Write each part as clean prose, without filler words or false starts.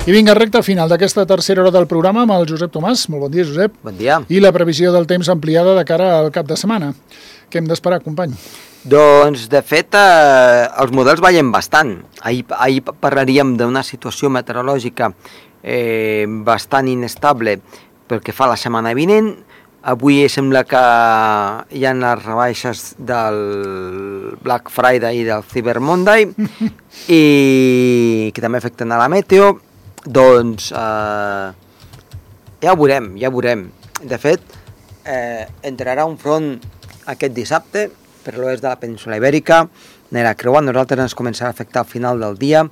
I vinga, recta final d'aquesta tercera hora del programa amb el Josep Tomàs. Molt bon dia, Josep. Bon dia. I la previsió del temps ampliada de cara al cap de setmana. Què hem d'esperar, company? Doncs, de fet, els models ballen bastant. Ahir parlaríem d'una situació meteorològica bastant inestable pel que fa a la setmana vinent. Avui sembla que hi ha les rebaixes del Black Friday i del Cyber Monday i que també afecten a la meteo. Doncs ja ho veurem. De fet, entrarà un front aquest dissabte per l'oest de la península Ibèrica, anirà creuant, nosaltres ens començarà a afectar al final del dia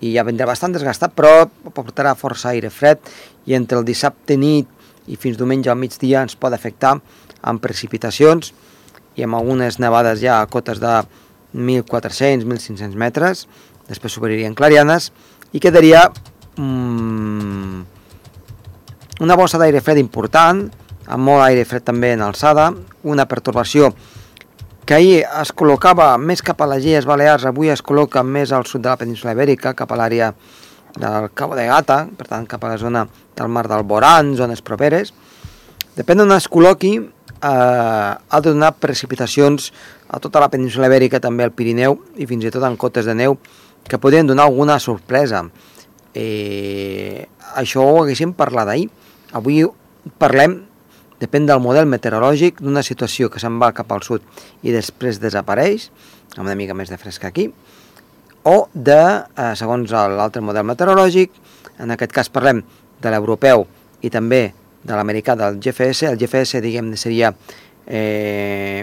i ja vindrà bastant desgastat, però portarà força aire fred i entre el dissabte nit i fins diumenge al migdia ens pot afectar amb precipitacions i amb algunes nevades ja a cotes de 1.400-1.500 metres, després s'obririen clarianes i quedaria una bossa d'aire fred important, amb molt aire fred també en alçada, una pertorbació que ahir es col·locava més cap a les Illes Balears, avui es col·loca més al sud de la península Ibèrica, cap a l'àrea del Cabo de Gata, per tant cap a la zona del mar d'Alborán, zones properes. Depèn d'on es col·loqui, ha de donar precipitacions a tota la península Ibèrica, també al Pirineu i fins i tot en cotes de neu, que podrien donar alguna sorpresa. Això ho haguéssim parlat ahir. Avui parlem, depèn del model meteorològic, d'una situació que se'n va cap al sud i després desapareix, amb una mica més de fresca aquí, o de, segons l'altre model meteorològic, en aquest cas parlem de l'europeu i també de l'americà del GFS. El GFS, diguem-ne, seria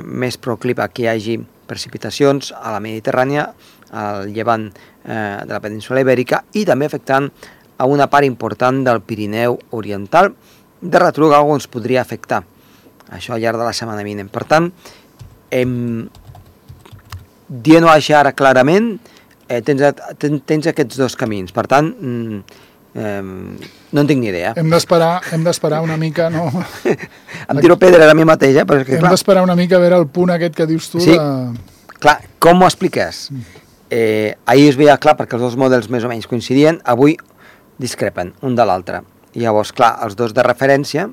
més proclive a que hi hagi precipitacions a la Mediterrània, al llevant de la península Ibèrica i també afectant a una part important del Pirineu oriental. De retruc algú ens podria afectar, això al llarg de la setmana vinent. Per tant, dient-ho així ara clarament, tens aquests dos camins. Per tant, no en tinc ni idea. Hem d'esperar una mica, no? Em tiro pedra a mi mateix, però és que clar. Hem d'esperar una mica a veure el punt aquest que dius tu. Sí, clar, com ho expliques? Ahir es veia clar perquè els dos models més o menys coincidien, avui discrepen un de l'altre. Llavors, clar, els dos de referència,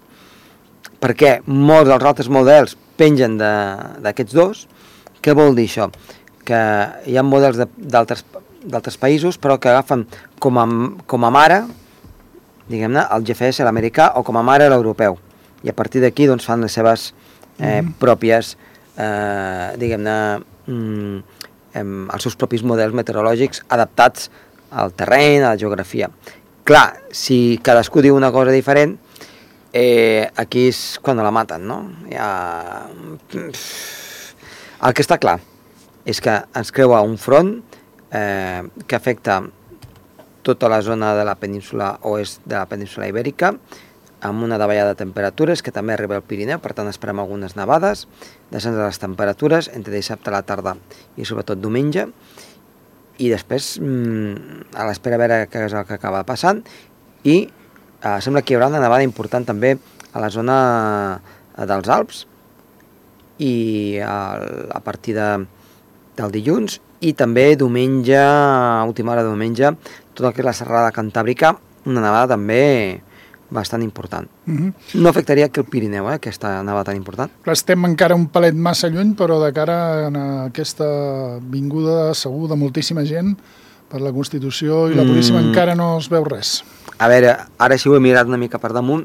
perquè molts dels altres models pengen d'aquests dos. Què vol dir això? Que hi ha models d'altres països, però que agafen com a mare, diguem-ne, el GFS, l'americà, o com a mare l'europeu. I a partir d'aquí doncs, fan les seves pròpies, diguem-ne, els seus propis models meteorològics adaptats al terreny, a la geografia. Clar, si cadascú diu una cosa diferent, aquí és quan la maten, no? El que està clar és que ens creua un front que afecta tota la zona de la península oest de la península Ibèrica, amb una davallada de temperatures que també arriba al Pirineu, per tant esperem algunes nevades, descens de les temperatures entre dissabte a la tarda i sobretot diumenge, i després a l'espera a veure què és el que acaba passant, i sembla que hi haurà una nevada important també a la zona dels Alps, i a partir del dilluns, i també diumenge, a última hora de diumenge, tot el que és la serralada cantàbrica, una nevada també bastant important. No afectaria aquí el Pirineu, aquesta nevada tan important. Clar, estem encara un palet massa lluny, però de cara a aquesta vinguda segur de moltíssima gent per la Constitució i la Puríssima encara no es veu res. A veure, ara si ho he mirat una mica per damunt,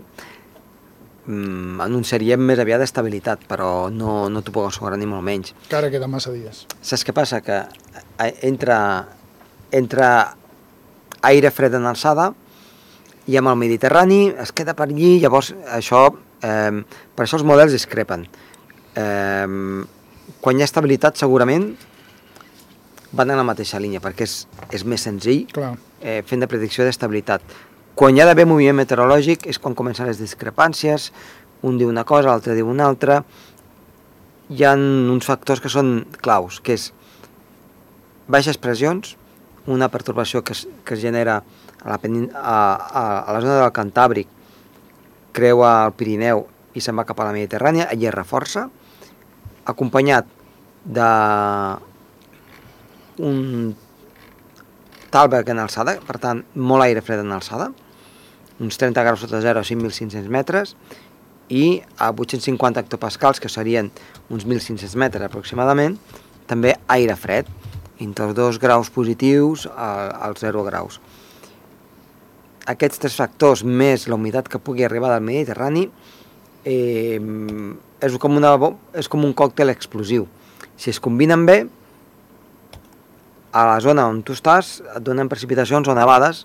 anunciaríem més aviat d'estabilitat, però no t'ho puc assegurar ni molt menys. Encara queda massa dies. Saps què passa? Que entra aire fred en alçada i amb el Mediterrani es queda per allí, llavors això, per això els models discrepen. Quan hi ha estabilitat segurament van en la mateixa línia, perquè és més senzill fent de predicció d'estabilitat. Quan hi ha d'haver moviment meteorològic és quan comencen les discrepàncies, un diu una cosa, l'altre diu una altra. Hi ha uns factors que són claus, que és baixes pressions, una pertorbació que es genera a la zona del Cantàbric, creua el Pirineu i se'n va cap a la Mediterrània, allí es reforça, acompanyat d'un Stallberg en alçada, per tant, molt aire fred en alçada, uns 30 graus sota zero a 5.500 metres, i a 850 hectopascals, que serien uns 1.500 metres aproximadament, també aire fred, entre els 2 graus positius als 0 graus. Aquests 3 factors, més la humitat que pugui arribar del Mediterrani, és com un còctel explosiu. Si es combinen bé, a la zona on tu estàs et donen precipitacions o nevades,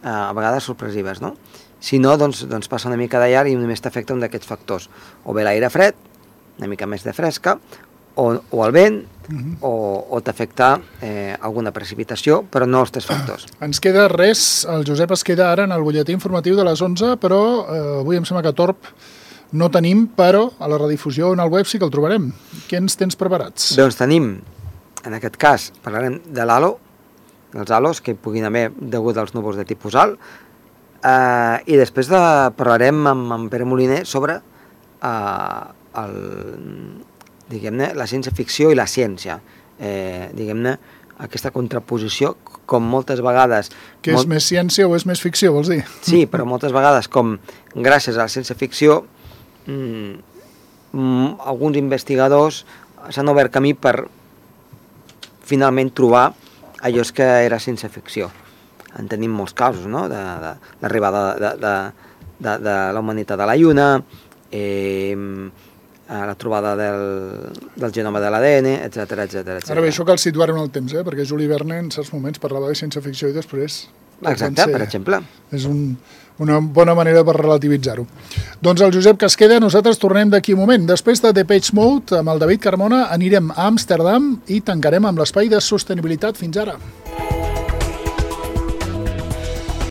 a vegades sorpresives, no? Si no, doncs passa una mica de llarg i només t'afecta un d'aquests factors. O bé l'aire fred, una mica més de fresca, o el vent, o t'afecta alguna precipitació, però no els 3 factors. Ens queda res, el Josep es queda ara en el butlletí informatiu de les 11, però avui em sembla que Torb no tenim, però a la redifusió en el web sí que el trobarem. Què ens tens preparats? Doncs tenim, en aquest cas, parlarem de l'halo, dels halos que hi puguin haver degut als núvols de tipus alt, i després parlarem amb Pere Moliner sobre diguem-ne, la ciència-ficció i la ciència, diguem-ne, aquesta contraposició, com moltes vegades... Que és més ciència o és més ficció, vols dir? Sí, però moltes vegades, com gràcies a la ciència-ficció, alguns investigadors s'han obert camí per finalment trobar allò que era ciència-ficció. En tenim molts casos, no?, de l'arribada de la humanitat a la Lluna, la trobada del genoma de l'ADN, etc. Ara bé, això cal situar-ho en el temps, perquè Juli Verne en certs moments parlava de ciència-ficció i després... Exacte, per exemple. És una bona manera per relativitzar-ho. Doncs el Josep Casqueda, nosaltres tornem d'aquí un moment. Després de Depeche Mode, amb el David Carmona, anirem a Amsterdam i tancarem amb l'espai de sostenibilitat. Fins ara.